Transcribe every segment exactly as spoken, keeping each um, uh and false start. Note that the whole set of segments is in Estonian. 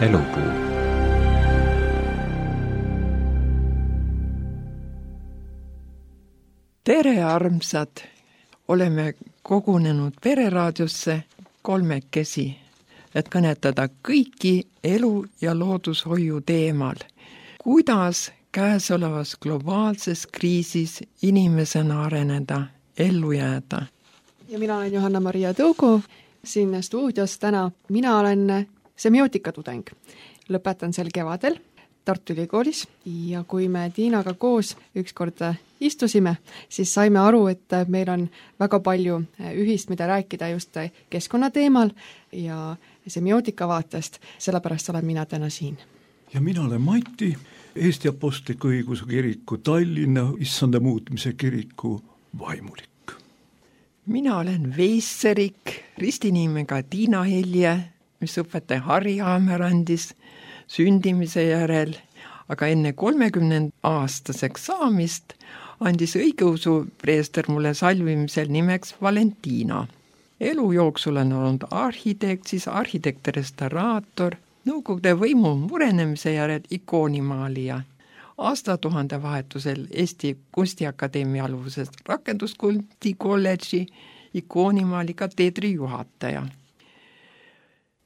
Elupuu. Tere, armsad! Oleme kogunenud Pereraadiosse kolmekesi, et kõnetada kõiki elu- ja loodushoiu teemal. Kuidas käesolevas globaalses kriisis inimesena areneda, ellu jääda? Ja mina olen Johanna-Maria Tõugu siin stuudios täna. Mina olen semiootikatudeng. Lõpetan sel kevadel Tartu Ülikoolis ja kui me Tiinaga koos ükskord istusime, siis saime aru, et meil on väga palju ühist, mida rääkida just keskkonna teemal ja semiootika vaatest, sellepärast olen mina täna siin. Ja mina olen Mati, Eesti Apostliku Õigeusu Kiriku Tallinna issanda muutmise kiriku vaimulik. Mina olen Veisserik, ristinimega Tiina Helje, mis õpetaja Harri Haamer andis sündimise järel, aga enne kolmekümnenda aastaseks saamist andis õigeusu preester mulle salvimisel nimeks Valentina. Elu jooksul on olnud arhitekt, siis arhitekt-restauraator, Nõukogude võimu murenemise järel ikoonimaalija. Aastatuhande vahetusel Eesti Kunstiakadeemia aluses rakenduskunsti kolledži ikoonimaali kateedri juhataja.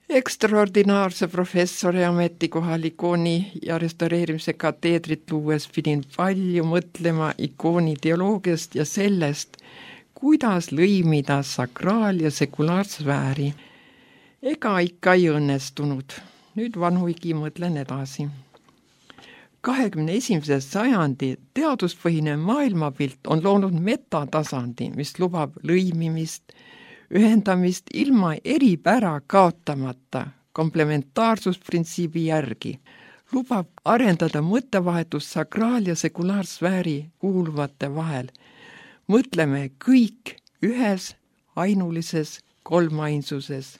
Ekstraordinaarse professori ametikohal ikooni ja restaureerimise kateedrit luues pidin palju mõtlema ikooni teoloogiast ja sellest, kuidas lõimida sakraal- ja sekulaarsfääri. Ega ikka ei õnnestunud. Nüüd vanuigi mõtlen edasi. kahekümne esimese sajandi teaduspõhine maailmapilt on loonud metatasandi, mis lubab lõimimist, ühendamist ilma eripära kaotamata komplementaarssusprintsiibi järgi, lubab arendada mõttevahetust sakraal- ja sekulaarsfääri kuuluvate vahel. Mõtleme kõik ühes ainulises kolmainsuses.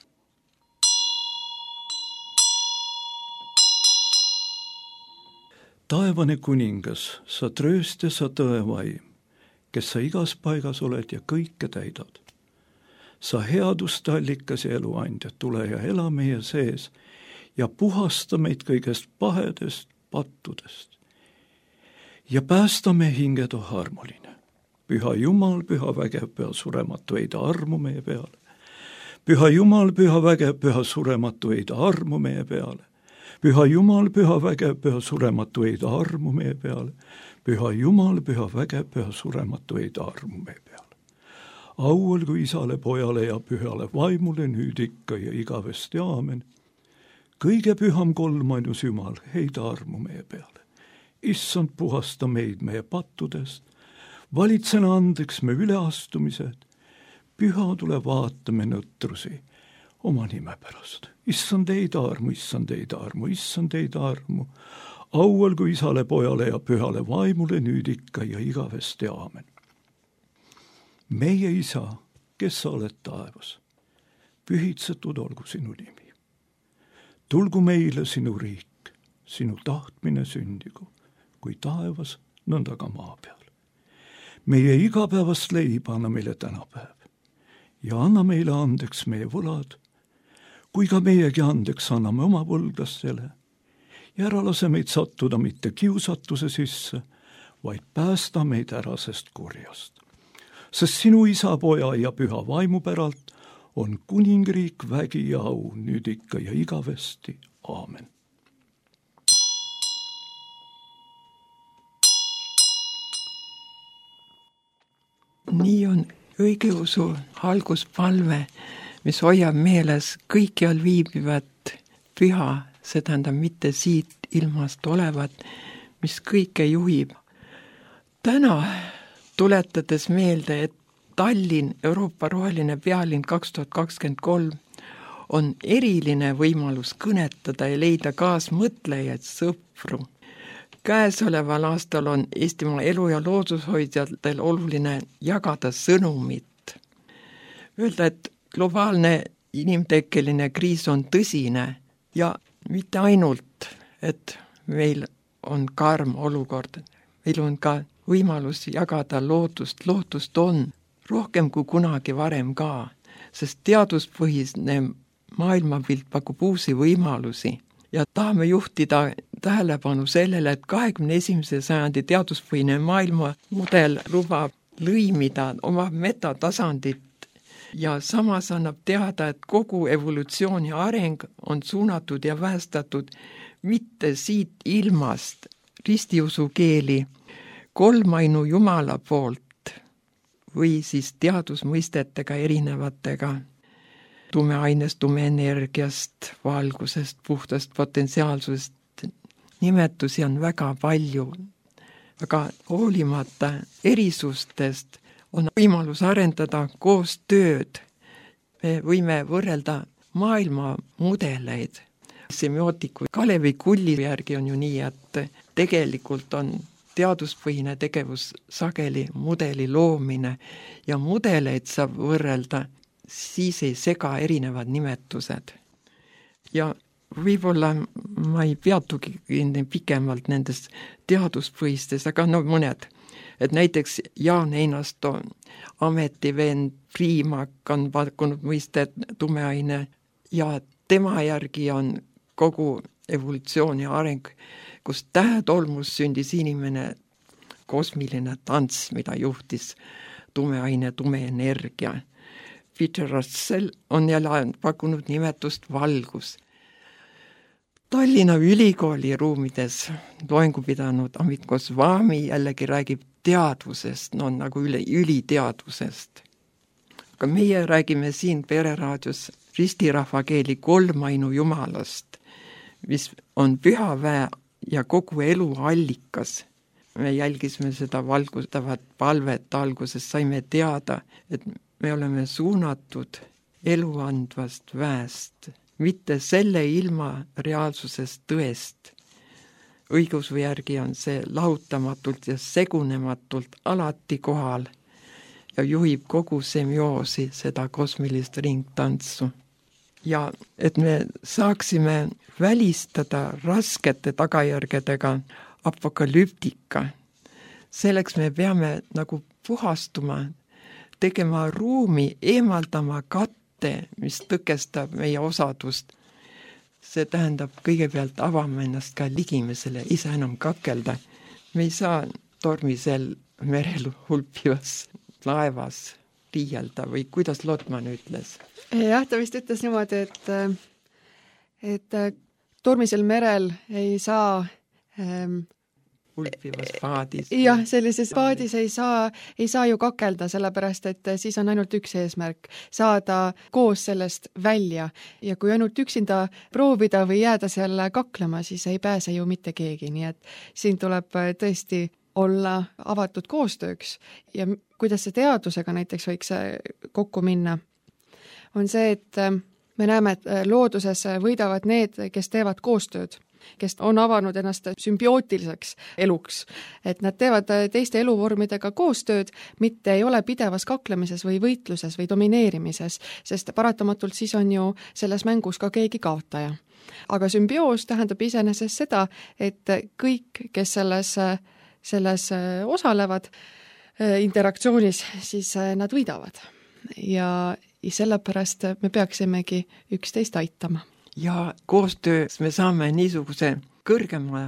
Taevane kuningas, sa trööst ja sa tõevaim, kes sa igas paigas oled ja kõike täidad. Sa headuste allikas ja eluandja, tule ja ela meie sees ja puhasta meid kõigest pahedest pattudest. Ja päästa me hingedo armuline. Püha Jumal, püha vägev, püha surematu, eida armu meie peale. Püha Jumal, püha vägev, püha surematu, eida armu meie peale. Püha Jumal, püha vägev, püha surematu, eida armu meie peale. Püha Jumal, püha vägev, püha surematu, eida armu meie peale. Au olgu isale, pojale ja pühale vaimule nüüd ikka ja igavesti aamen. Kõige püham kolmainus Jumal, heida armu meie peale. Issand, puhasta meid meie pattudest, valitsena andeks me üleastumised, püha tule vaatame nõtrusi oma nime pärast. Issand, heida armu, issand, heida armu, issand, heida armu. Au olgu isale, pojale ja pühale vaimule nüüd ikka ja igavesti aamen. Meie isa, kes sa oled taevas, pühitsetud olgu sinu nimi. Tulgu meile sinu riik, sinu tahtmine sündigu, kui taevas, nõnda ka maa peal. Meie igapäevast leiba anna meile tänapäev ja anna meile andeks meie võlad, kui ka meiegi andeks anname oma võlglastele ja ära lase meid sattuda mitte kiusatuse sisse, vaid päästa meid ära sest kurjast. Sest sinu isa, poja ja püha vaimu päralt on kuningriik, vägi ja au nüüd ikka ja igavesti. Aamen. Nii on õigeusu alguspalve, mis hoiab meeles kõikjal viibivat püha, see tähendab mitte siit ilmast olevat, mis kõike juhib. Täna tuletades meelde, et Tallinn, Euroopa roheline pealinn kaks tuhat kakskümmend kolm on eriline võimalus kõnetada ja leida kaasmõtlejaid, sõpru. Käesoleval aastal on Eestimaa elu- ja loodushoidjatel oluline jagada sõnumit. Öelda, et globaalne inimtekkeline kriis on tõsine ja mitte ainult, et meil on karm olukord, meil on ka võimalus jagada lootust, lootust on rohkem kui kunagi varem ka, sest teaduspõhisne maailmapilt pakub uusi võimalusi, ja tahame juhtida tähelepanu sellele, et kahekümne esimese sajandi teaduspõhine maailmamudel lubab lõimida oma metatasandit ja samas annab teada, et kogu evolutsioon ja areng on suunatud ja väestatud mitte siit ilmast ristiusukeeli kolmainu Jumala poolt või siis teadusmõistetega erinevatega tumeainest, tumeenergiast, valgusest, puhtast potentsiaalsusest. Nimetusi on väga palju, aga hoolimata erisustest on võimalus arendada koostööd. Me võime võrrelda maailma mudeleid. Semiootiku Kalevi Kulli järgi on ju nii, et tegelikult on teaduspõhine tegevus sageli mudeli loomine ja mudeleid saab võrrelda, siis ei sega erinevad nimetused. Ja võib-olla ma ei peatugi pikemalt nendes teaduspõhistes, aga no mõned. Et näiteks Jaan Einasto ametivend Priimak on pakkunud mõistet tumeaine ja tema järgi on kogu evolutsioon ja areng, kus tähetolmus sündis inimene kosmiline tants, mida juhtis tumeaine, tumeenergia. Peter Russell on jälle pakkunud nimetust valgus. Tallinna Ülikooli ruumides loengu pidanud Amit Goswami jällegi räägib teadvusest, no nagu üle üliteadvusest. Aga meie räägime siin Pereraadios ristirahvakeeli kolmainu Jumalast, mis on püha väe ja kogu elu allikas. Me jälgisime seda valgustavat palvet alguses, saime teada, et me oleme suunatud eluandvast väest, mitte selle ilma reaalsusest tõest. Õigeusu järgi on see lahutamatult ja segunematult alati kohal ja juhib kogu semioosi, seda kosmilist ringtantsu. Ja et me saaksime välistada raskete tagajärgedega apokalüptika, selleks me peame nagu puhastuma, tegema ruumi, eemaldama katte, mis tõkestab meie osadust. See tähendab kõigepealt avama ennast ka ligimesele, ise enam kakelda. Me ei saa tormisel merel hulpivas laevas riielda või kuidas Lotman ütles? Jah, ta vist ütles niimoodi, et, et tormisel merel ei saa ähm, hulpivas paadis. Jah, sellises paadis ei saa, ei saa ju kakelda, sellepärast et siis on ainult üks eesmärk, saada koos sellest välja. Ja kui ainult üksinda proovida või jääda seal kaklema, siis ei pääse ju mitte keegi. Nii et siin tuleb tõesti olla avatud koostööks. Ja kuidas see teadusega näiteks võiks kokku minna, on see, et me näeme, et looduses võidavad need, kes teevad koostööd, kes on avanud ennast sümbiootiliseks eluks, et nad teevad teiste eluvormidega koostööd, mitte ei ole pidevas kaklemises või võitluses või domineerimises, sest paratamatult siis on ju selles mängus ka keegi kaotaja. Aga sümbioos tähendab iseenesest seda, et kõik, kes selles, selles osalevad interaktsioonis, siis nad võidavad. Ja sellepärast me peaksimegi üksteist aitama. Ja koostöös me saame niisuguse kõrgema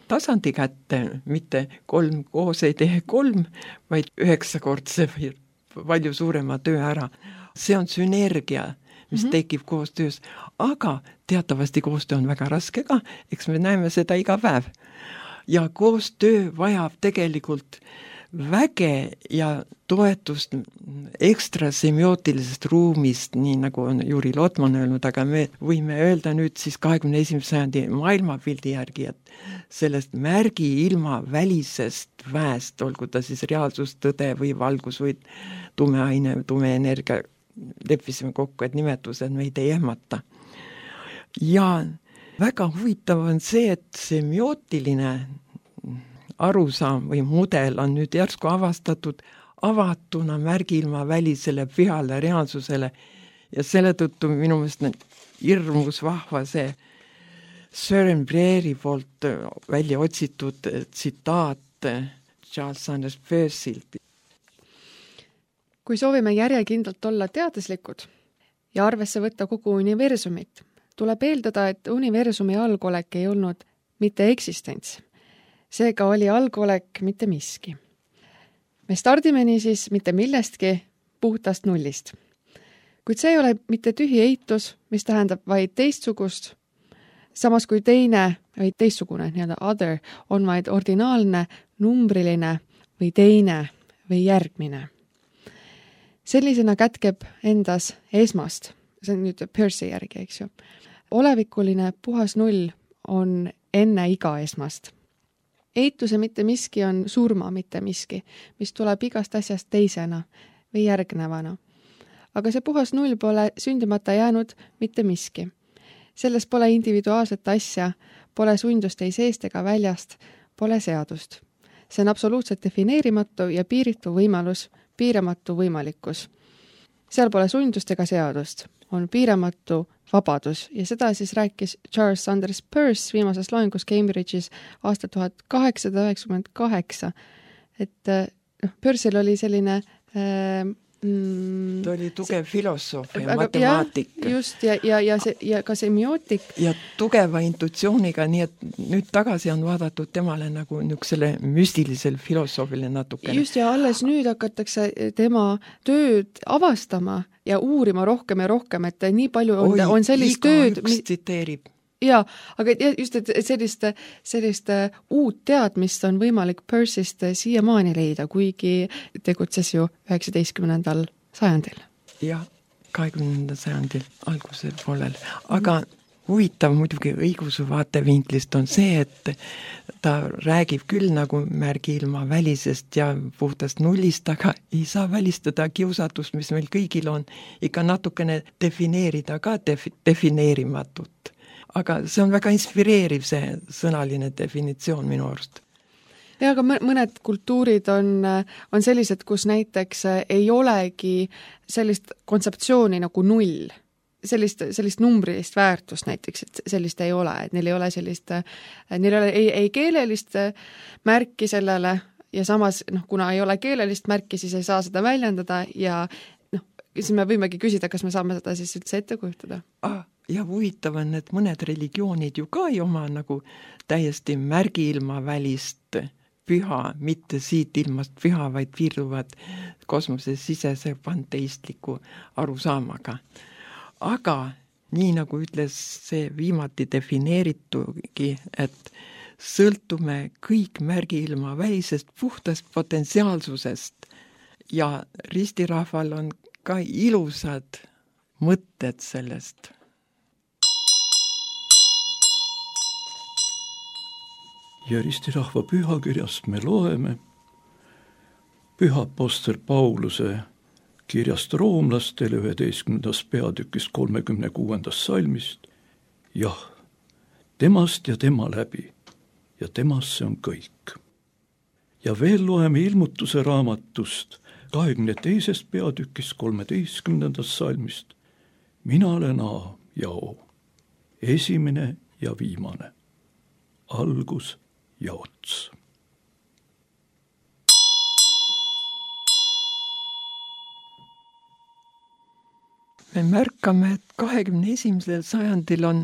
tasandi kätte, mitte kolm koos ei tee kolm, vaid üheksakordse või palju suurema töö ära. See on sünergia, mis mm-hmm. tekib koostöös, aga teatavasti koostöö on väga raske ka, eks me näeme seda iga päev. Ja koostöö vajab tegelikult väge ja toetust ekstra semiootilisest ruumist, nii nagu on Juri Lotman öelnud, aga me võime öelda nüüd siis kahekümne esimese sajandi maailmapildi järgi, et sellest märgi ilma välisest väest, olgu ta siis reaalsus, tõde või valgus või tumeaine, tumeenergia, leppisime kokku, et nimetused meid ei ehmata. Ja väga huvitav on see, et semiootiline arusaam või mudel on nüüd järsku avastatud avatuna märgilma välisele pühale reaalsusele ja selle tõttu minu meelest hirmus vahva see Søren Breeri poolt välja otsitud tsitaat Charles Sanders Peirsilt. Kui soovime järjekindlalt olla teaduslikud ja arvesse võtta kogu universumit, tuleb eeldada, et universumi algolek ei olnud mitte eksistents. Seega oli algolek mitte miski. Me stardime niisiis mitte millestki puhtast nullist. Kuid see ei ole mitte tühi eitus, mis tähendab vaid teistsugust, samas kui teine või teistsugune, nii-öelda other, on vaid ordinaalne, numbriline või teine või järgmine. Sellisena kätkeb endas esmast, see on nüüd Peirce'i järgi, eks ju. Olevikuline puhas null on enne iga esmast. Eituse mitte miski on surma mitte miski, mis tuleb igast asjast teisena või järgnevana. Aga see puhas null pole sündimata jäänud mitte miski. Selles pole individuaalset asja, pole sundust ei seest ega väljast, pole seadust. See on absoluutselt defineerimatu ja piiritu võimalus, piiramatu võimalikkus. Seal pole sundust ega seadust, on piiramatu vabadus ja seda siis rääkis Charles Sanders Peirce viimases loengus Cambridge'is aasta tuhat kaheksasada üheksakümmend kaheksa. Et noh, Peirce'il oli selline äh, mm, ta oli tugev see, filosoof ja aga, matemaatik. Ja, just, ja, ja, ja, see, ja ka semiootik. Ja tugeva intuitsiooniga, nii et nüüd tagasi on vaadatud temale nagu niisugusele müstilisel filosoofile natukene. Just, ja alles nüüd hakatakse tema tööd avastama ja uurima rohkem ja rohkem, et nii palju on, Oi, on sellist tööd... Oi, iga tsiteerib. Jaa, aga just, et sellist, sellist uut teadmist on võimalik Peirce'ist siiamaani leida, kuigi tegutses ju üheksateistkümnendal sajandil. Jah, kahekümnendal sajandil algusel poolel. Aga mm. huvitav muidugi õiguse vaatevinklist on see, et ta räägib küll nagu märgiilma välisest ja puhtast nullist, aga ei saa välistada kiusatust, mis meil kõigil on, ikka natukene defineerida ka def- defineerimatut. Aga see on väga inspireeriv, see sõnaline definitsioon minu arust. Ja, aga mõned kultuurid on, on sellised, kus näiteks ei olegi sellist kontseptsiooni nagu null. Sellist, sellist numbrilist väärtust näiteks, et sellist ei ole, et neil ei ole sellist, neil ei ole ei, ei keelelist märki sellele ja samas, noh, kuna ei ole keelelist märki, siis ei saa seda väljendada ja noh, siis me võimegi küsida, kas me saame seda siis üldse ette kujutada. Ah. Ja huvitav on, et mõned religioonid ju ka ei oma nagu täiesti märgiilma välist püha, mitte siit ilmast püha, vaid piirduvad kosmose sisese panteistliku arusaamaga. Aga nii nagu ütles see viimati defineeritugi, et sõltume kõik märgiilma välisest puhtast potentsiaalsusest ja ristirahval on ka ilusad mõtted sellest. Ja ristirahva pühakirjast me loeme püha apostel Pauluse kirjast roomlastele üheteistkümnendast peatükist kolmekümne kuuendast salmist. Jah, temast ja tema läbi ja temast see on kõik. Ja veel loeme ilmutuse raamatust kahekümne teisest peatükist kolmeteistkümnendast salmist. Mina olen A ja O, esimene ja viimane, algus ja ots. Me märkame, et kahekümne esimesel sajandil on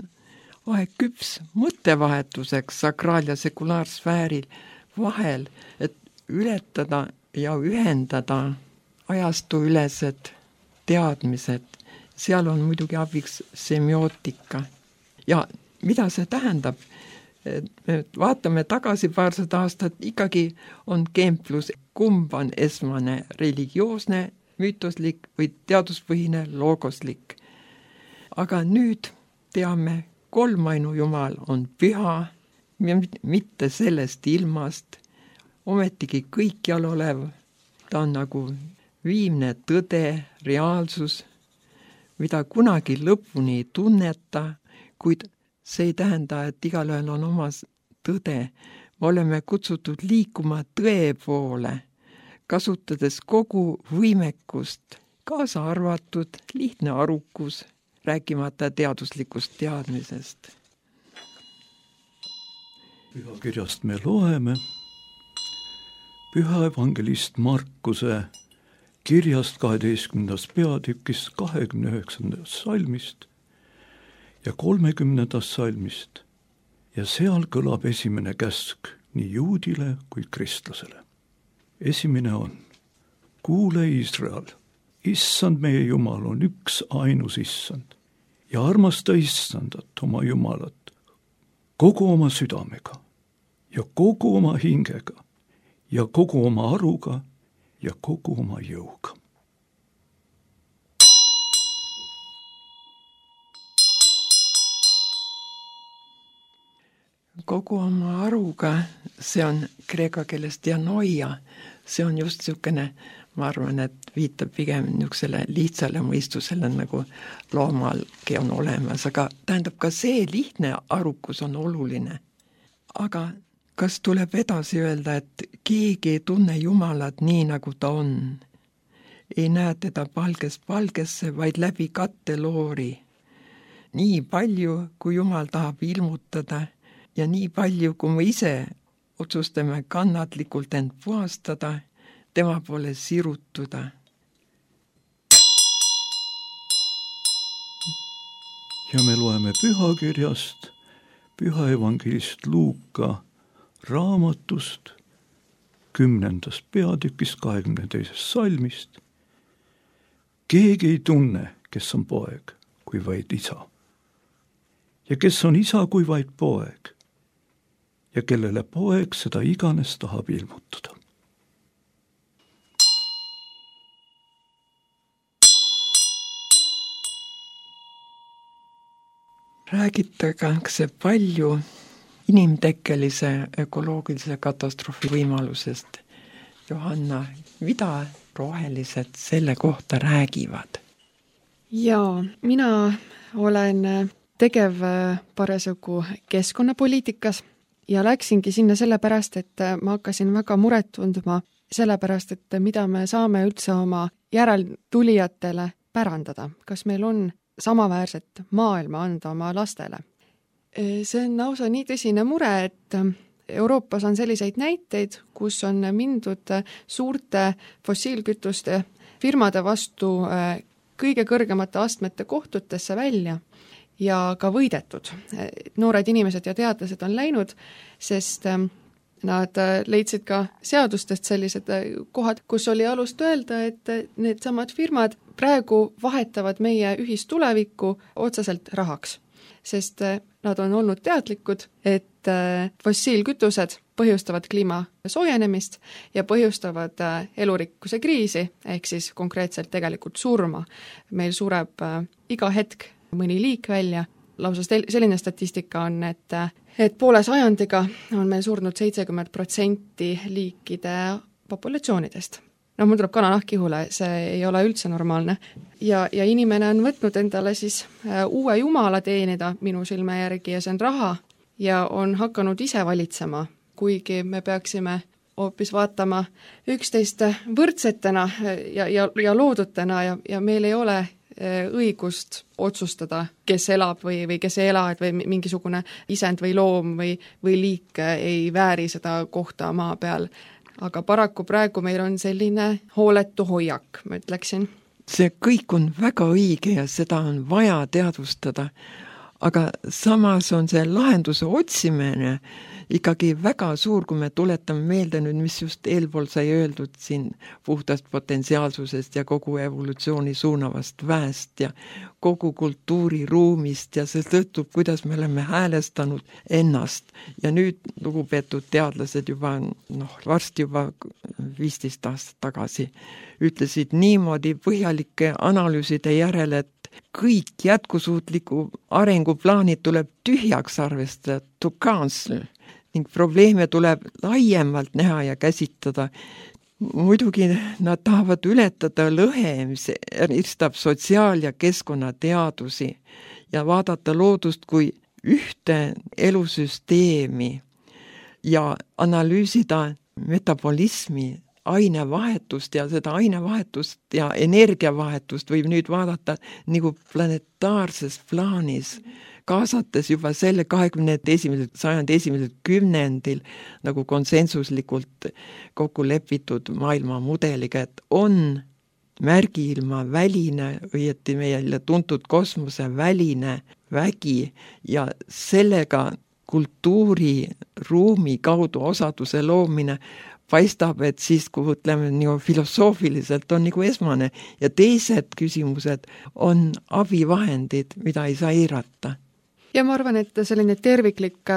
aeg küps mõttevahetuseks sakraal- ja sekulaarsfääril vahel, et ületada ja ühendada ajastuülesed teadmised. Seal on muidugi abiks semiootika. Ja mida see tähendab? Me vaatame tagasi paarsada aastat, ikkagi on keemplus, kumb on esmane religioosne, müütoslik või teaduspõhine loogoslik. Aga nüüd teame, kolmainu Jumal on püha, mitte sellest ilmast, ometigi kõikjal olev, ta on nagu viimne tõde, reaalsus, mida kunagi lõpuni ei tunneta, kuid see ei tähenda, et igalühel on omas tõde. Me oleme kutsutud liikuma tõe poole, kasutades kogu võimekust, kaasa arvatud lihtne arukus, rääkimata teaduslikust teadmisest. Pühakirjast me loeme püha evangelist Markuse kirjast kaheteistkümnendast peatükist kahekümne üheksandast salmist. ja kolmekümnendast salmist ja seal kõlab esimene käsk nii juudile kui kristlasele. Esimene on: kuule Iisrael, issand meie Jumal on üks ainus issand ja armasta issandat oma Jumalat kogu oma südamega ja kogu oma hingega ja kogu oma aruga ja kogu oma jõuga. Kogu oma aruga, see on kreeka keeles dianoia, see on just niisugune, ma arvan, et viitab pigem niisugusele lihtsale mõistusele, nagu loomalgi on olemas, aga tähendab ka see lihtne arukus on oluline. Aga kas tuleb edasi öelda, et keegi ei tunne Jumalat nii, nagu ta on? Ei näe teda palgest palgesse, vaid läbi katteloori. Nii palju, kui Jumal tahab ilmutada ja nii palju, kui me ise otsustame kannatlikult end puhastada, tema poole sirutuda. Ja me loeme pühakirjast, püha evangelist Luuka raamatust, kümnendast peatükist, kahekümne teisest salmist. Keegi ei tunne, kes on poeg, kui vaid isa. Ja kes on isa, kui vaid poeg. Ja kellele poeg seda iganes tahab ilmutada. Räägitakse palju inimtekkelise ökoloogilise katastroofi võimalusest. Johanna, mida rohelised selle kohta räägivad? Jaa, mina olen tegev parasjagu keskkonnapoliitikas ja läksingi sinna sellepärast, et ma hakkasin väga muret tundma sellepärast, et mida me saame üldse oma järeltulijatele pärandada. Kas meil on samaväärset maailma anda oma lastele? See on lausa nii tõsine mure, et Euroopas on selliseid näiteid, kus on mindud suurte fossiilkütuste firmade vastu kõige kõrgemate astmete kohtutesse välja ja ka võidetud. Noored inimesed ja teadlased on läinud, sest nad leidsid ka seadustest sellised kohad, kus oli alust öelda, et need samad firmad praegu vahetavad meie ühistulevikku otseselt rahaks. Sest nad on olnud teadlikud, et fossiilkütused põhjustavad kliima soojenemist ja põhjustavad elurikkuse kriisi, ehk siis konkreetselt tegelikult surma. Meil sureb iga hetk mõni liik välja. Lausa selline statistika on, et, et poole sajandiga on meil surnud seitsekümmend protsenti liikide populatsioonidest. No mul tuleb kananahk kihule, see ei ole üldse normaalne. Ja, ja inimene on võtnud endale siis uue jumala teenida minu silme järgi ja see on raha ja on hakanud ise valitsema, kuigi me peaksime hoopis vaatama üksteist võrdsetena ja, ja, ja loodutena ja, ja meil ei ole õigust otsustada, kes elab või, või kes ei ela, et või mingisugune isend või loom või, või liik ei vääri seda kohta maa peal. Aga paraku praegu meil on selline hooletu hoiak, ma ütleksin. See kõik on väga õige ja seda on vaja teadvustada, aga samas on see lahenduse otsimine ikkagi väga suur, kui me tuletame meelde nüüd, mis just eelpool sai öeldud siin puhtast potentsiaalsusest ja kogu evolutsiooni suunavast väest ja kogu kultuuriruumist ja see tõttub, kuidas me oleme häälestanud ennast. Ja nüüd lugupeetud teadlased juba, noh, varsti juba viisteist aastat tagasi ütlesid niimoodi põhjalike analüüside järel, et kõik jätkusuutliku arenguplaanid tuleb tühjaks arvestada, to cancel. Ning probleeme tuleb laiemalt näha ja käsitada. Muidugi nad tahavad ületada lõhe, mis eristab sotsiaal- ja keskkonnateadusi ja vaadata loodust kui ühte elusüsteemi ja analüüsida metabolismi, ainevahetust ja seda ainevahetust ja energiavahetust võib nüüd vaadata nagu planetaarses plaanis, kaasates juba selle kahekümne esimesel sajandi esimesel kümnendil nagu konsensuslikult kokku lepitud maailmamudeliga, et on märgiilma väline, õieti meile tuntud kosmose väline vägi ja sellega kultuuriruumi kaudu osaduse loomine paistab, et siis, kui ütleme nii filosoofiliselt on nagu esmane ja teised küsimused on abivahendid, mida ei saa eirata. Ja ma arvan, et selline terviklik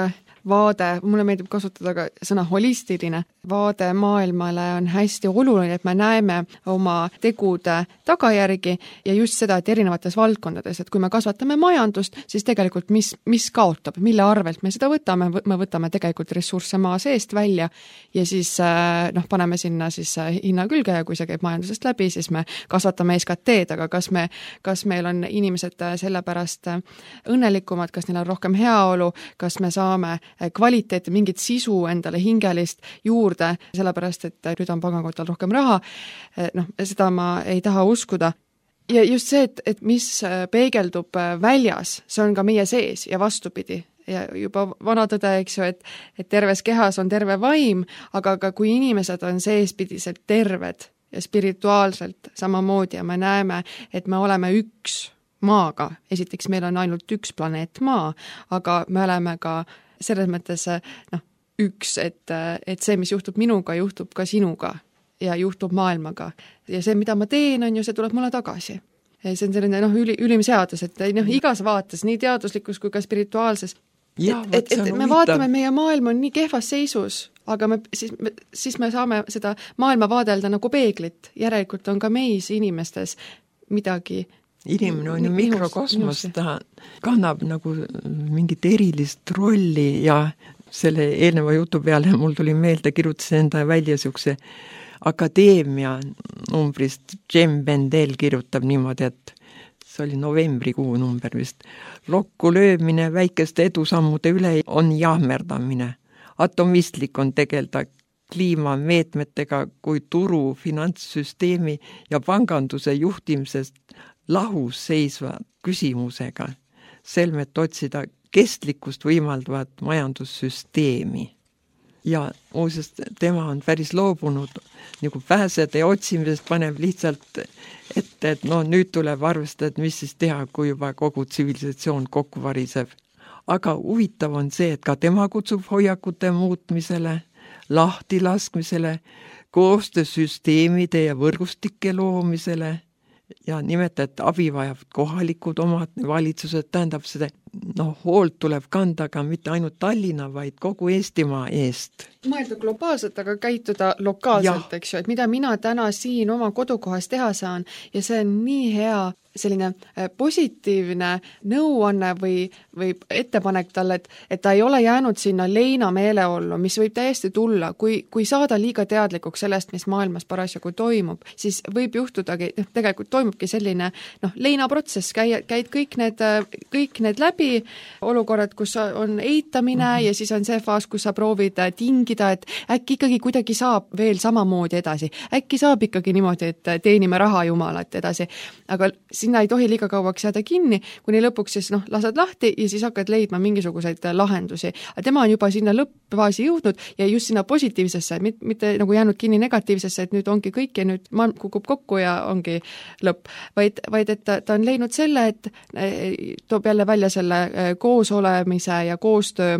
vaade, mulle meeldib kasutada ka sõna holistiline, vaade maailmale on hästi oluline, et me näeme oma tegude tagajärgi ja just seda, et erinevates valdkondades, et kui me kasvatame majandust, siis tegelikult mis, mis kaotab, mille arvelt me seda võtame, me võtame tegelikult ressursse maa seest välja ja siis noh, paneme sinna siis hinna külge ja kui see käib majandusest läbi, siis me kasvatame S K T-d, aga kas, me, kas meil on inimesed sellepärast õnnelikumad, kas neil on rohkem heaolu, kas me saame kvaliteeti, mingit sisu endale hingelist juurde, sellepärast, et nüüd on pangakontol rohkem raha, noh, seda ma ei taha uskuda. Ja just see, et, et mis peegeldub väljas, see on ka meie sees ja vastupidi. Ja juba vana tõde, eks ju, et, et terves kehas on terve vaim, aga ka kui inimesed on seespidiselt terved ja spirituaalselt samamoodi ja me näeme, et me oleme üks maaga. Esiteks meil on ainult üks planeet maa, aga me oleme ka selles mõttes noh, üks, et, et see, mis juhtub minuga, juhtub ka sinuga ja juhtub maailmaga. Ja see, mida ma teen, on ju, see tuleb mulle tagasi. See on selline noh, üli, ülim seadus, et noh, igas vaates, nii teaduslikus kui ka spirituaalses. Ja, et, et, et me vaatame, meie maailm on nii kehvas seisus, aga me, siis, me, siis me saame seda maailma vaadelda nagu peeglit. Järelikult on ka meis inimestes midagi. Inimene on ju mikrokosmos, ta kannab nagu mingit erilist rolli ja selle eelneva jutu peale mul tuli meelde, kirjutasin enda välja siukse akadeemia numbrist, Jem Bendel kirjutab niimoodi, et see oli novembrikuu number vist. Lokku löömine väikeste edusammude üle on jahmerdamine. Atomistlik on tegelda kliimameetmetega kui turu, finantssüsteemi ja panganduse juhtimisest lahus seisva küsimusega, selmet otsida kestlikkust võimaldavat majandussüsteemi. Ja muuseas, tema on päris loobunud nagu pääsede otsimisest, paneb lihtsalt ette, et no nüüd tuleb arvestada, et mis siis teha, kui juba kogu tsivilisatsioon kokku variseb. Aga huvitav on see, et ka tema kutsub hoiakute muutmisele, lahtilaskmisele, koostöösüsteemide ja võrgustike loomisele ja nimeta, et abi vajab kohalikud omad valitsused, tähendab seda, noh, hoolt tuleb kanda ka mitte ainult Tallinna, vaid kogu Eestimaa eest. Mõelda globaalselt, aga käituda lokaalselt, eks ju, et mida mina täna siin oma kodukohas teha saan ja see on nii hea selline positiivne nõuanne või, või ettepanek talle, et, et ta ei ole jäänud sinna leina meeleollu, mis võib täiesti tulla, kui, kui saada liiga teadlikuks sellest, mis maailmas parasjagu toimub, siis võib juhtudagi, noh, tegelikult toimubki selline noh, leinaprotsess, käi, käid kõik need, kõik need läbi, olukorrad, kus on eitamine mm-hmm. ja siis on see faas, kus sa proovid tingida, et äkki ikkagi kuidagi saab veel samamoodi edasi, äkki saab ikkagi niimoodi, et teenime raha jumalat edasi, aga sinna ei tohi liiga kauaks jääda kinni, kuni lõpuks siis noh, lased lahti ja siis hakkad leidma mingisuguseid lahendusi. Aga tema on juba sinna lõppfaasi jõudnud ja just sinna positiivsesse, mitte nagu jäänud kinni negatiivsesse, et nüüd ongi kõik ja nüüd maailm kukub kokku ja ongi lõpp. Vaid, vaid et ta, ta on leidnud selle, et toob jälle välja selle koosolemise ja koostöö,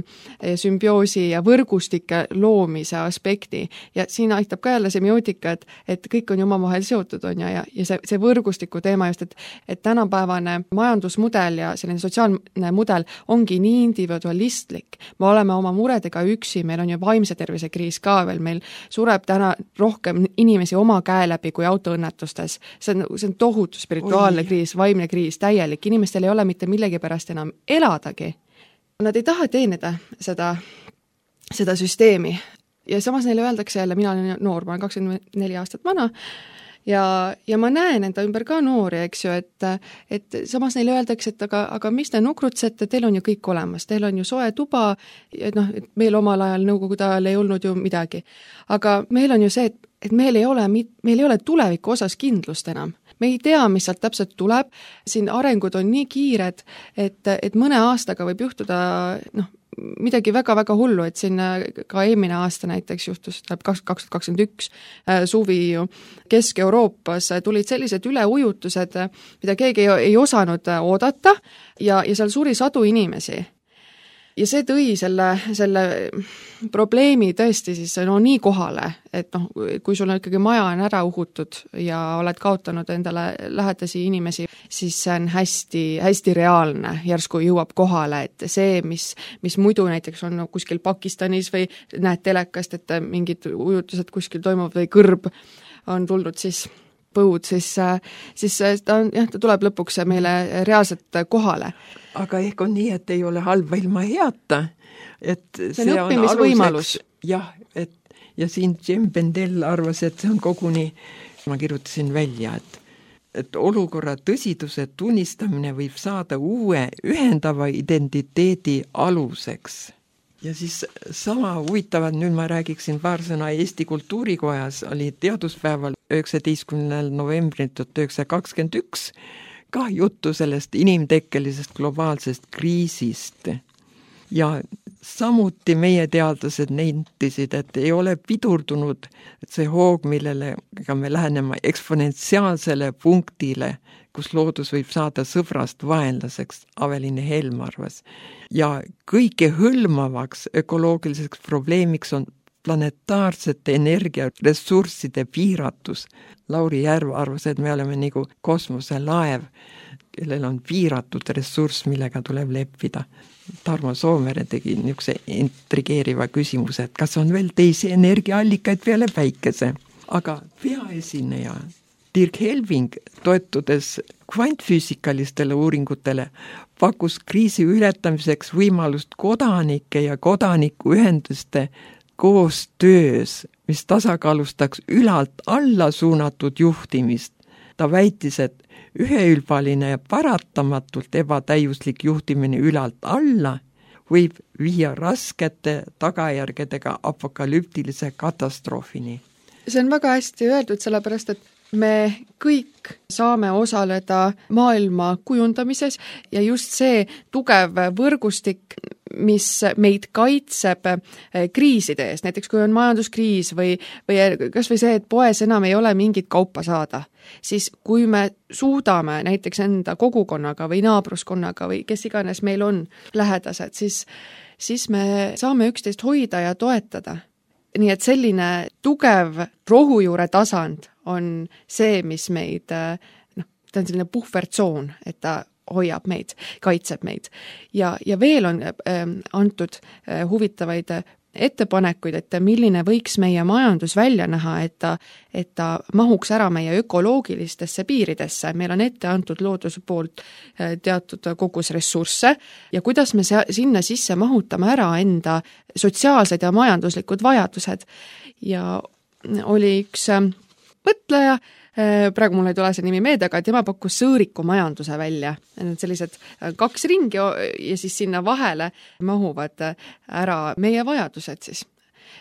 sümbioosi ja võrgustike loomise aspekti. Ja siin aitab ka jälle semiootika, et, et kõik on ju omavahel seotud on ja, ja, ja see, see võrgustiku teema just, et et tänapäevane majandusmudel ja selline sotsiaalne mudel ongi nii individualistlik. Me oleme oma muredega üksi, meil on ju vaimse tervise kriis ka veel, meil sureb täna rohkem inimesi oma käe läbi kui autoõnnetustes. See on, see on tohutu spirituaalne Oi. kriis, vaimne kriis, täielik. Inimestel ei ole mitte millegi pärast enam eladagi. Nad ei taha teenida seda, seda süsteemi. Ja samas neile öeldakse jälle, mina olen noor, ma olen kakskümmend neli aastat vana, Ja, ja ma näen enda ümber ka noori, eks ju, et, et samas neile öeldakse, et aga, aga mis te nukrutsete, teil on ju kõik olemas, teil on ju soe tuba, et noh, et meil omal ajal nõukogude ajal ei olnud ju midagi. Aga meil on ju see, et, et meil ei ole, meil ei ole tuleviku osas kindlust enam. me ei tea, mis sealt täpselt tuleb, siin arengud on nii kiired, et, et mõne aastaga võib juhtuda noh, midagi väga-väga hullu, et siin ka eelmine aasta näiteks juhtus, kaks tuhat kakskümmend üks suvi ju Kesk-Euroopas tulid sellised üleujutused, mida keegi ei, ei osanud oodata ja, ja seal suri sadu inimesi. Ja see tõi selle, selle probleemi tõesti siis no nii kohale, et noh, kui sul on ikkagi maja on ära uhutud ja oled kaotanud endale lähedasi inimesi, siis see on hästi, hästi reaalne, järsku jõuab kohale, et see, mis, mis muidu näiteks on kuskil Pakistanis või näed telekast, et mingid ujutused kuskil toimuvad või kõrb on tulnud siis põud, siis, siis ta, on, jah, ta tuleb lõpuks meile reaalselt kohale. Aga ehk on nii, et ei ole halba ilma heata. Et see on see õppimisvõimalus. Jah, et, ja siin Jem Bendel arvas, et see on koguni, ma kirjutasin välja, et, et olukorra tõsiduse tunnistamine võib saada uue ühendava identiteedi aluseks. Ja siis sama huvitavad, nüüd ma räägiksin paar sõna Eesti Kultuurikojas, oli teaduspäeval üheksateistkümnendal novembril tuhat üheksasada kakskümmend üks ka juttu sellest inimtekkelisest globaalsest kriisist. Ja samuti meie teadlased nentisid, et ei ole pidurdunud see hoog, millele me läheneme eksponentsiaalsele punktile, kus loodus võib saada sõbrast vaenlaseks, Aveline Helm arvas. Ja kõike hõlmavaks ökoloogiliseks probleemiks on planetaarsete energiaressursside piiratus. Lauri Järv arvas, et me oleme nagu kosmoselaev, kellel on piiratud ressurss, millega tuleb leppida. Tarmo Soomere tegi niisuguse intrigeeriva küsimuse, et kas on veel teisi energiaallikaid peale päikese. Aga peaesineja Dirk Helving, toetudes kvantfüüsikalistele uuringutele, pakkus kriisi ületamiseks võimalust kodanike ja kodanikuühenduste koostöös, mis tasakaalustaks ülalt alla suunatud juhtimist. Ta väitis, et üheülbaline ja paratamatult ebatäiuslik juhtimine ülalt alla võib viia raskete tagajärgedega apokalüptilise katastroofini. See on väga hästi öeldud, sellepärast, et me kõik saame osaleda maailma kujundamises ja just see tugev võrgustik, mis meid kaitseb kriiside ees, näiteks kui on majanduskriis või, või kas või see, et poes enam ei ole mingit kaupa saada, siis kui me suudame näiteks enda kogukonnaga või naabruskonnaga või kes iganes meil on lähedased, siis, siis me saame üksteist hoida ja toetada. Nii et selline tugev rohujuure tasand on see, mis meid, noh, ta on selline puhvertsoon, et ta hoiab meid, kaitseb meid. Ja, ja veel on äh, antud äh, huvitavaid ettepanekuid, et milline võiks meie majandus välja näha, et ta, et ta mahuks ära meie ökoloogilistesse piiridesse. Meil on ette antud looduse poolt äh, teatud kogus ressursse ja kuidas me se- sinna sisse mahutame ära enda sotsiaalsed ja majanduslikud vajadused. Ja oli üks äh, mõtleja, praegu mul ei tule see nimi meelde, aga tema pakkus sõõriku majanduse välja. Need sellised kaks ringi ja siis sinna vahele mahuvad ära meie vajadused siis.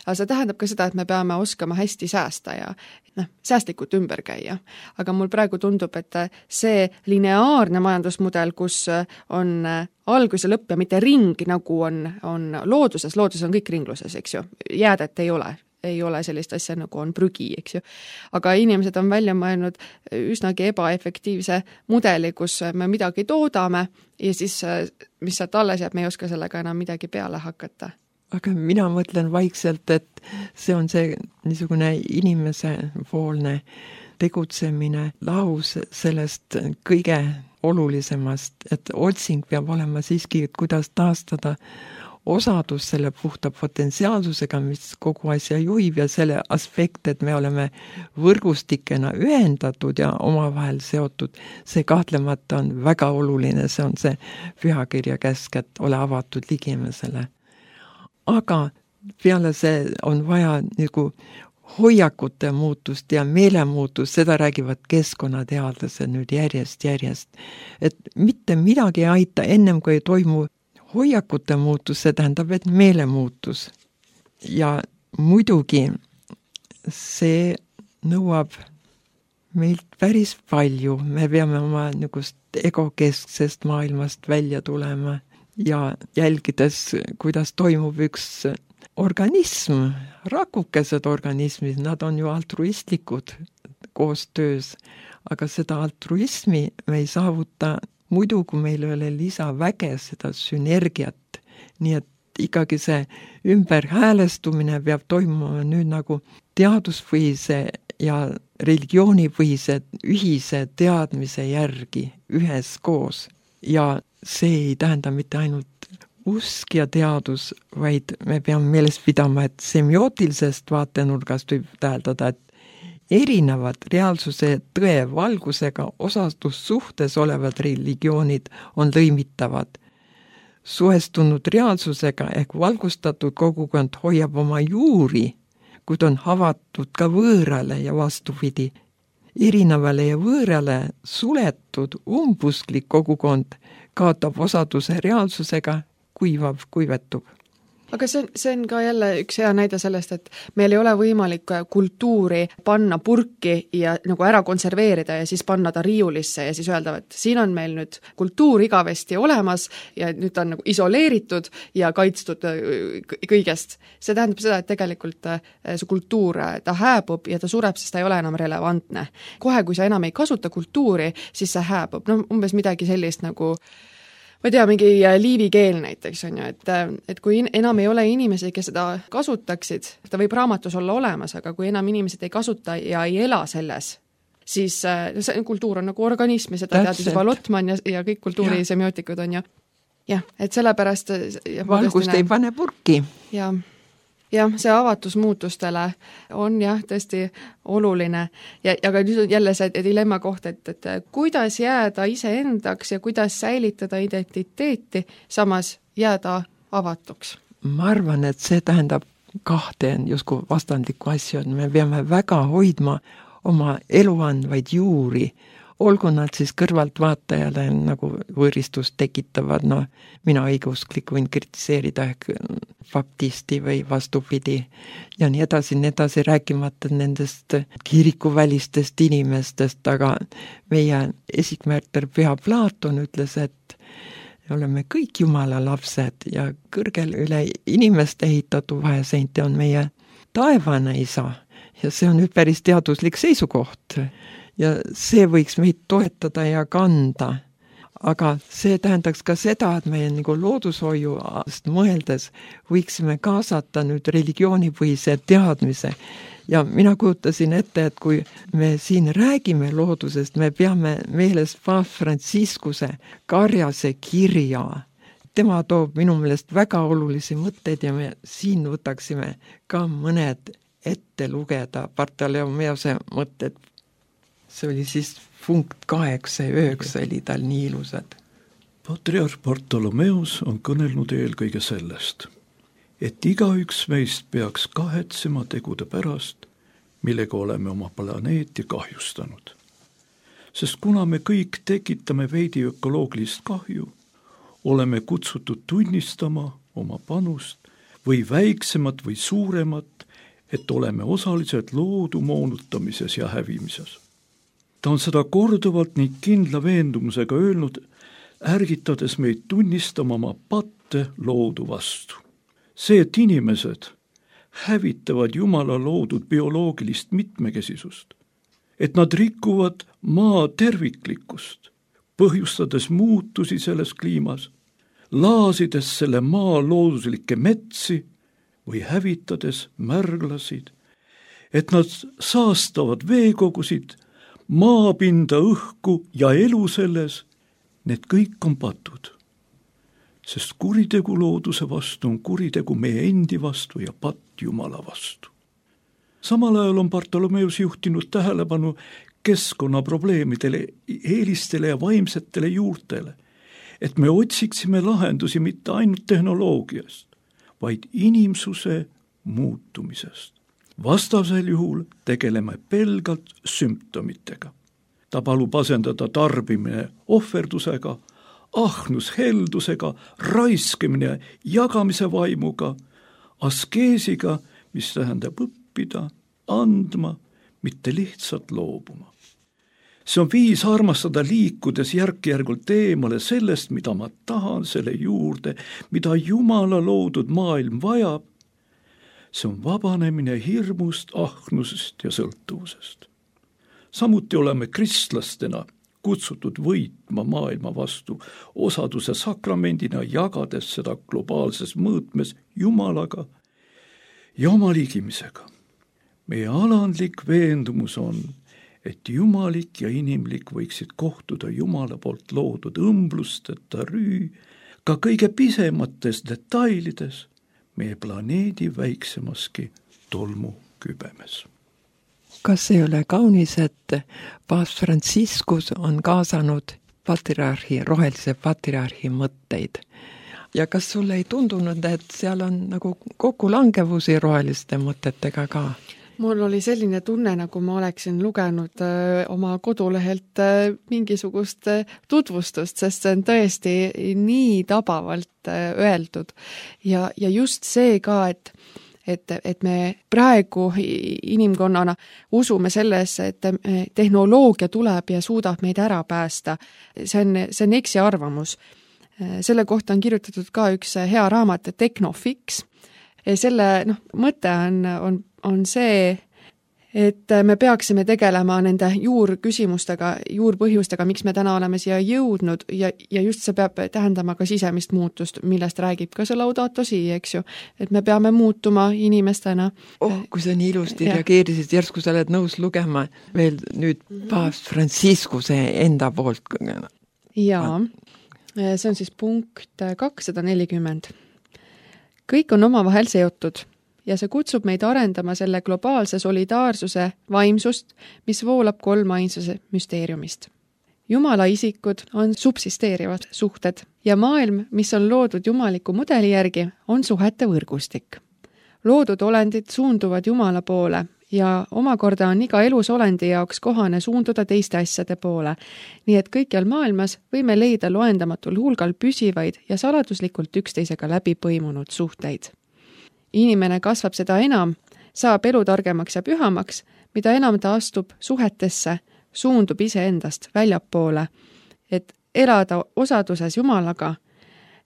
Aga see tähendab ka seda, et me peame oskama hästi säästa ja noh, säästlikult ümber käia. Aga mul praegu tundub, et see lineaarne majandusmudel, kus on algus ja lõpp ja mitte ring, nagu on, on looduses, looduses on kõik ringluses, eks ju, jäädet ei ole. ei ole sellist asja, nagu on prügi, eks ju. Aga inimesed on välja mõelnud üsnagi ebaefektiivse mudeli, kus me midagi toodame ja siis, mis sealt alles jääb, me ei oska sellega enam midagi peale hakata. Aga mina mõtlen vaikselt, et see on see niisugune inimesepoolne tegutsemine lahus sellest kõige olulisemast, et otsing peab olema siiski, et kuidas taastada osadus selle puhta potentsiaalsusega, mis kogu asja juhib ja selle aspekt, et me oleme võrgustikena ühendatud ja omavahel seotud, see kahtlemata on väga oluline, see on see pühakirja käsk, et ole avatud ligimesele. Aga peale see on vaja nagu hoiakute muutust ja meelemuutust, seda räägivad keskkonnateadlased nüüd järjest, järjest. Et mitte midagi ei aita ennem, kui ei toimu hoiakute muutus, see tähendab, et meelemuutus. Ja muidugi see nõuab meilt päris palju, me peame oma niisugust egokesksest maailmast välja tulema ja jälgides, kuidas toimub üks organism, rakukesed organismid, nad on ju altruistlikud koostöös, aga seda altruismi me ei saavuta muidu, kui meil ei ole lisaväge, seda sünergiat. Nii et ikkagi see ümberhäälestumine peab toimuma nüüd nagu teaduspõhise ja religioonipõhise ühise teadmise järgi üheskoos. Ja see ei tähenda mitte ainult usk ja teadus, vaid me peame meeles pidama, et semiootilisest vaatenurgast võib täheldada, et erinevad reaalsuse tõe valgusega osatussuhtes olevad religioonid on lõimitavad. Suhestunud reaalsusega ehk valgustatud kogukond hoiab oma juuri, kuid on havatud ka võõrale ja vastupidi. Erinevale ja võõrale suletud umbusklik kogukond kaotab osaduse reaalsusega, kuivab, kuivetub. Aga see on, see on ka jälle üks hea näide sellest, et meil ei ole võimalik kultuuri panna purki ja nagu ära konserveerida ja siis panna ta riiulisse ja siis öelda, et siin on meil nüüd kultuur igavesti olemas ja nüüd ta on nagu isoleeritud ja kaitstud kõigest. See tähendab seda, et tegelikult see kultuur, ta hääbub ja ta sureb, sest ta ei ole enam relevantne. Kohe, kui sa enam ei kasuta kultuuri, siis see hääbub. No, umbes midagi sellist nagu ma tea, mingi liivikeel näiteks on ju, et, et kui enam ei ole inimesi, kes seda kasutaksid, ta võib raamatus olla olemas, aga kui enam inimesed ei kasuta ja ei ela selles, siis see kultuur on nagu organism ja seda That's teadis juba Lotman ja, ja kõik kultuurisemiotikud on ju. Jah, et sellepärast valgust ei pane purki. Ja jah, see avatus muutustele on jah tõesti oluline ja, ja ka nüüd on jälle see dilemma koht, et, et kuidas jääda iseendaks ja kuidas säilitada identiteeti, samas jääda avatuks. Ma arvan, et see tähendab kahte justkui vastandlikku asju, et me peame väga hoidma oma eluandvaid juuri, olgu nad siis kõrvalt vaatajale nagu võõristust tekitavad, no mina õigusklik võin kritiseerida ehk baptisti või vastupidi ja nii edasi, nii edasi, rääkimata nendest kirikuvälistest inimestest, aga meie esikmärter Püha Platon ütles, et oleme kõik Jumala lapsed ja kõrgel üle inimeste ehitatu vaheseinte on meie taevane isa ja see on nüüd päris teaduslik seisukoht. Ja see võiks meid toetada ja kanda. Aga see tähendaks ka seda, et meie nagu loodushoiuast mõeldes võiksime kaasata nüüd religioonipõhise teadmise. Ja mina kujutasin ette, et kui me siin räägime loodusest, me peame meeles Paavst Franciscuse Karjase kirja. Tema toob minu meelest väga olulisi mõtteid ja me siin võtaksime ka mõned ette lugeda Bartolomeose mõtted. See oli siis punkt kaheksa ja üheksa oli tal nii ilusad. Patriarh Bartolomeus on kõnelnud eelkõige sellest, et igaüks meist peaks kahetsema tegude pärast, millega oleme oma planeeti kahjustanud. Sest kuna me kõik tekitame veidi ökoloogilist kahju, oleme kutsutud tunnistama oma panust või väiksemat või suuremat, et oleme osalised loodu moonutamises ja hävimises. Ta on seda korduvalt ning kindla veendumusega öelnud, ärgitades meid tunnistama oma patte loodu vastu. See, et inimesed hävitavad Jumala loodud bioloogilist mitmekesisust, et nad rikuvad maa terviklikkust, põhjustades muutusi selles kliimas, laasides selle maa looduslikke metsi või hävitades märglasid, et nad saastavad veekogusid, maapinda, õhku ja elu selles, need kõik on patud. Sest kuritegu looduse vastu on kuritegu meie endi vastu ja patt Jumala vastu. Samal ajal on Bartolomeus juhtinud tähelepanu keskkonnaprobleemidele, eelistele ja vaimsetele juurtele, et me otsiksime lahendusi mitte ainult tehnoloogiast, vaid inimsuse muutumisest. Vastasel juhul tegeleme pelgalt sümptomitega. Ta palub asendada tarbimine ohverdusega, ahnus heldusega, raiskimine jagamise vaimuga, askeesiga, mis tähendab õppida, andma, mitte lihtsalt loobuma. see on viis armastada liikudes järk-järgult eemale sellest, mida ma tahan, selle juurde, mida Jumala loodud maailm vajab. See on vabanemine hirmust, ahnusest ja sõltuvusest. Samuti oleme kristlastena kutsutud võitma maailma vastu osaduse sakramendina, jagades seda globaalses mõõtmes Jumalaga ja oma liigimisega. Meie alandlik veendumus on, et jumalik ja inimlik võiksid kohtuda Jumala poolt loodud õmblusteta rüü ka kõige pisemates detailides meie planeedi väiksemaski tolmukübemes. Kas ei ole kaunis, et paavst Franciscus on kaasanud patriarhi, rohelise patriarhi mõtteid? Ja kas sulle ei tundunud, et seal on nagu kokkulangevusi roheliste mõtetega ka? Mul oli selline tunne, nagu ma oleksin lugenud öö, oma kodulehelt öö, mingisugust öö, tutvustust, sest see on tõesti nii tabavalt öö, öeldud. Ja, ja just see ka, et, et, et me praegu inimkonnana usume sellesse, et tehnoloogia tuleb ja suudab meid ära päästa. See on, see on eksi arvamus. Selle kohta on kirjutatud ka üks hea raamat, Technofix. Selle noh, mõte on, on, on see, et me peaksime tegelema nende juurküsimustega, juurpõhjustega, miks me täna oleme siia jõudnud ja, ja just see peab tähendama ka sisemist muutust, millest räägib ka see Laudato Si, eks ju, et me peame muutuma inimestena. Oh, kui sa nii ilusti ja. reageerisid, järsku sa oled nõus lugema veel nüüd paavst Franciscuse enda poolt. Jaa, see on siis punkt kakssada nelikümmend. Kõik on omavahel seotud ja see kutsub meid arendama selle globaalse solidaarsuse vaimsust, mis voolab kolmainsuse müsteeriumist. Jumala isikud on subsisteerivad suhted ja maailm, mis on loodud jumaliku mudeli järgi, on suhete võrgustik. Loodud olendid suunduvad Jumala poole ja omakorda on iga elus olendi jaoks kohane suunduda teiste asjade poole, nii et kõikjal maailmas võime leida loendamatul hulgal püsivaid ja saladuslikult üksteisega läbi põimunud suhteid. Inimene kasvab seda enam, saab elu targemaks ja pühamaks, mida enam ta astub suhetesse, suundub iseendast väljapoole, et elada osaduses Jumalaga,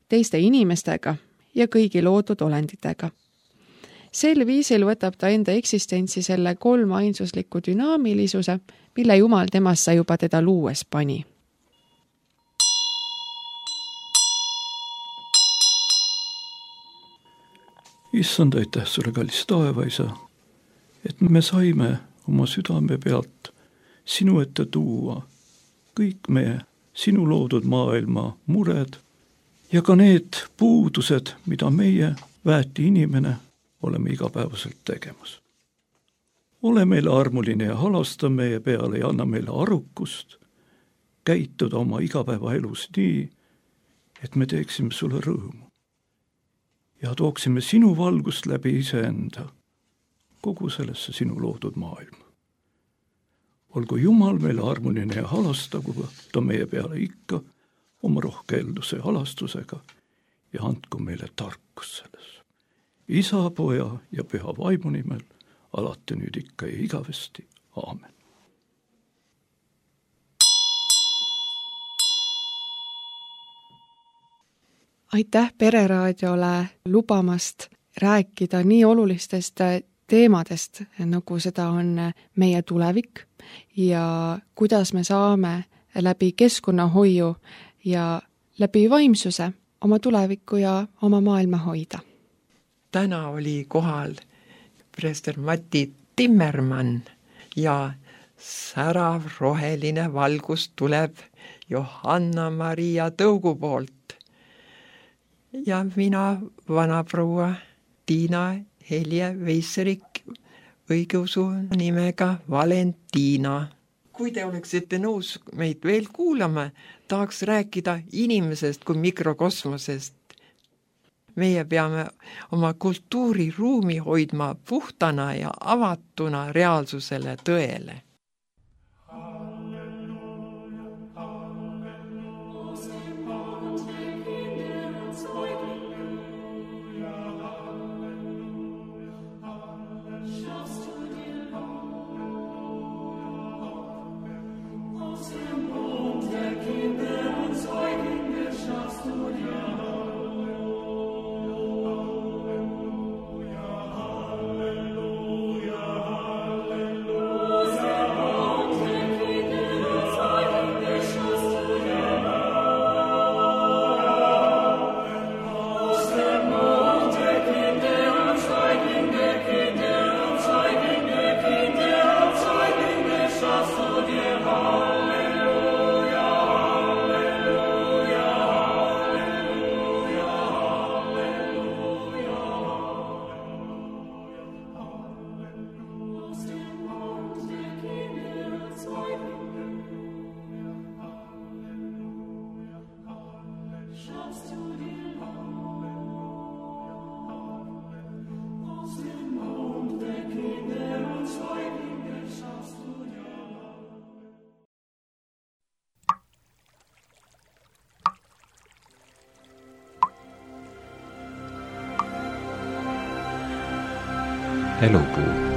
teiste inimestega ja kõigi loodud olenditega. Sel viisil võtab ta enda eksistentsi selle kolmainsusliku dünaamilisuse, mille Jumal temassa juba teda luues pani. Issand, aitäh sulle, kallis taevaisa, et me saime oma südame pealt sinu ette tuua kõik meie sinu loodud maailma mured ja ka need puudused, mida meie väeti inimene oleme igapäevaselt tegemas. Ole meile armuline ja halasta meie peale ja anna meile arukust käituda oma igapäevaelus nii, et me teeksime sulle rõõmu ja tooksime sinu valgust läbi iseenda kogu sellesse sinu loodud maailma. Olgu Jumal meile armuline ja halastagu ta meie peale ikka oma rohkeelduse ja halastusega ja andku meile tarkus selles. Isa, Poja ja Püha Vaimu nimel, alati nüüd ikka ja igavesti. Aamen. Aitäh Pereraadiole lubamast rääkida nii olulistest teemadest, nagu seda on meie tulevik ja kuidas me saame läbi keskkonnahoiu ja läbi vaimsuse oma tulevikku ja oma maailma hoida. Täna oli kohal preester Mati Timmermann ja särav roheline valgus tuleb Johanna-Maria Tõugu poolt. Ja mina, vanaproua Tiina Helje Veisserik, õigeusu nimega Valentina. Kui te oleksite nõus meid veel kuulama, tahaks rääkida inimesest kui mikrokosmosest. Meie peame oma kultuuriruumi hoidma puhtana ja avatuna reaalsusele tõele. Elupuu.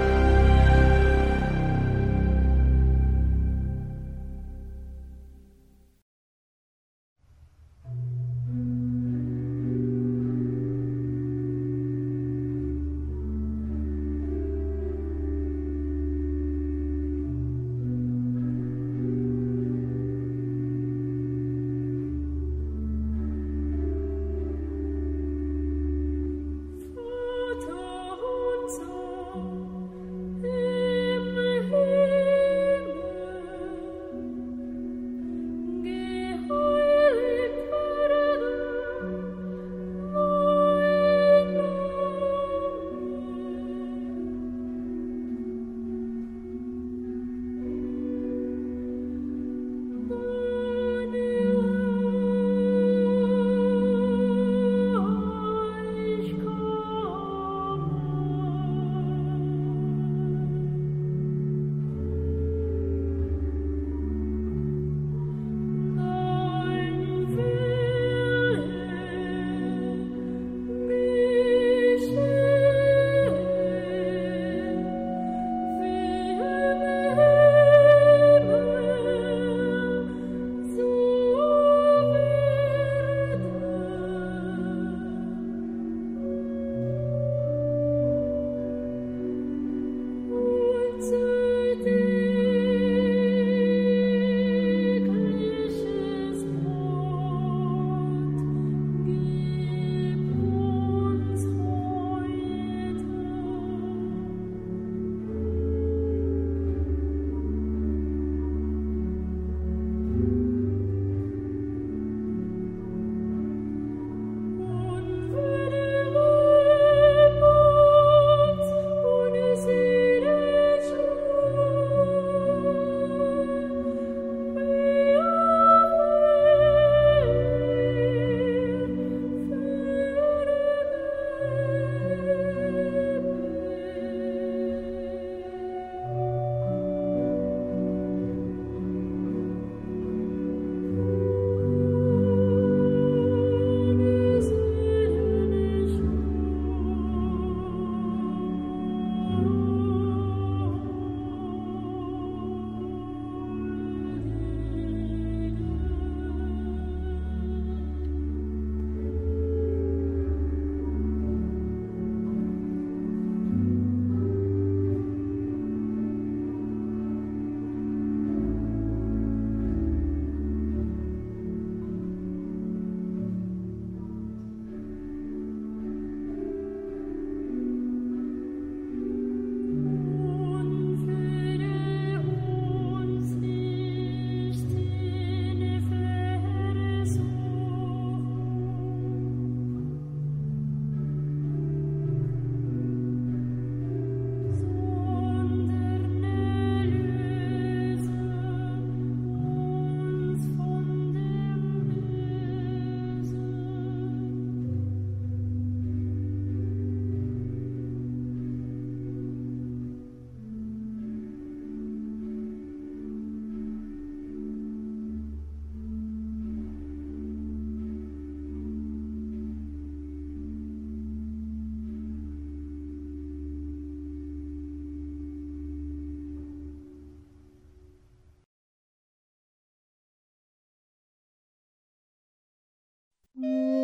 Mm.